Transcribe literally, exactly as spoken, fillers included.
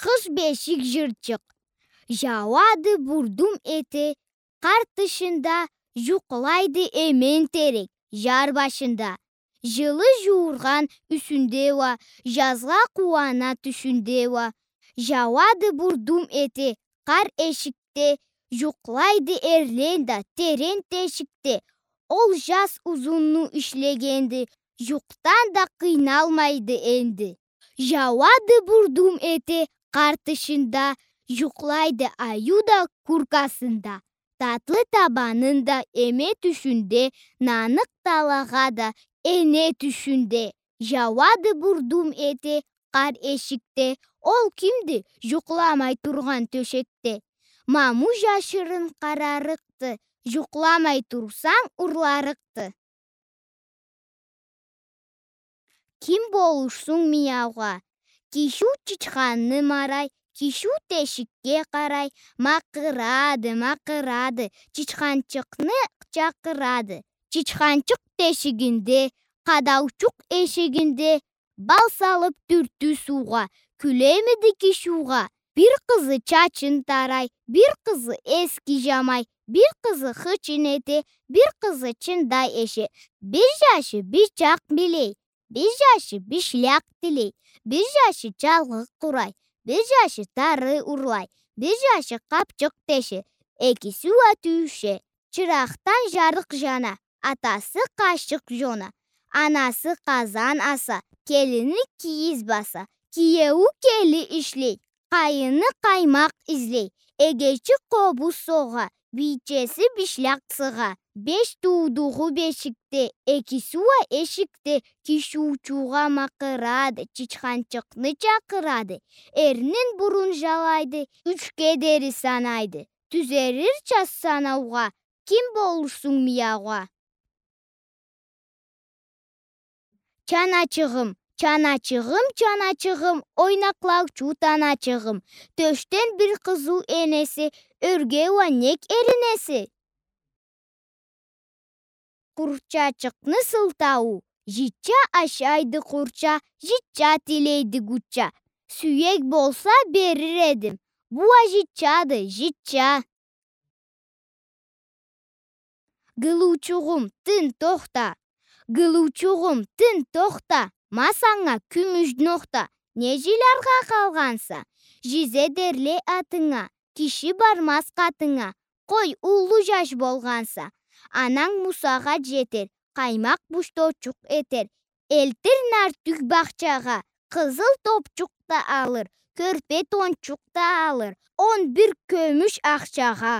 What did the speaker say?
Къыш бешик жырчыкъ. Жауады бурдум эте къар тышында, жукълайды эмен терек жар башында. Жылы жууургъан юсюнде уа, жазгъа къууана тюшюнде уа. Жауады бурдум эте къар эшикде, жукълайды эрлен да терен тешикде. Ол жаз узунну ишлегенди, жукъдан да къыйналмайды энди. Жауады бурдум эте къар тышында, жукълайды айю да куркасында. Татлы табанын да эме тюшюнде, наныкъ талагъа да эне тюшюнде. Жауады бурдум эте къар эшикде, ол кимди жукъламай тургъан тёшекде? Маму жашырын къарарыкъды, жукъламай турсанг, урларыкъды. Ким болурсунг мияугъа? Кишиу чычханны марай, кишиу тешикге къарай, макъырады, макъырады, чычханчыкъны чакъырады. Чычханчыкъ тешигинде, къадаучукъ эшигинде, бал салып тюртю суугъа, кюлемиди кишиугъа? Бир къызы чачын тарай, бир къызы эски жамай, бир къызы хычын эте, бир къызы чындай эше. Бир жашы бычакъ билей, бир жашы бишлякъ тилей, бир жашы чалгъы къурай, бир жашы тары урлай, бир жашы къапчыкъ теше, экиси уа тюйюше. Чыракъдан жарыкъ жана, атасы къашыкъ жона, анасы къазан аса, келини кийиз баса, киеую кели ишлей, къайыны къаймакъ излей, эгечи къобуз согъа, бийчеси бишлякъ сыгъа. Беш туудугъу бешикде, экиси уа эшикде, кишиучугъа макъырады, чычханчыкъны чакъырады, эрнин бурун жалайды, ючге дери санайды. Тюзерирча санаугъа, ким болурсунг мияугъа? Чаначыгъым, чаначыгъым, чаначыгъым, ойнакълаучу таначыгъым. Тёшден бир къызыу энеси, ёрге уа нек эринеси? Къурчачыкъны сылтауу. Житча ашайды къурча, житча тилейди гучча. Сюек болса, берир эдим. Бу уа житчады, житча. Гылыучугъум, тын, тохта. Гылыучугъум, тын, тохта. Ма санга кюмюш нохта. Не жиляргъа къалгъанса? Жизе дерле атынга, киши бармаз къатынга. Къой, уллу жаш болгъанса. Ананг мусагъат жетер, къаймакъ бушточукъ этер. Элтир нартюх бахчагъа, къызыл топчукъ да алыр, кёрпе тончукъ да алыр, он бир кюмюш ахчагъа.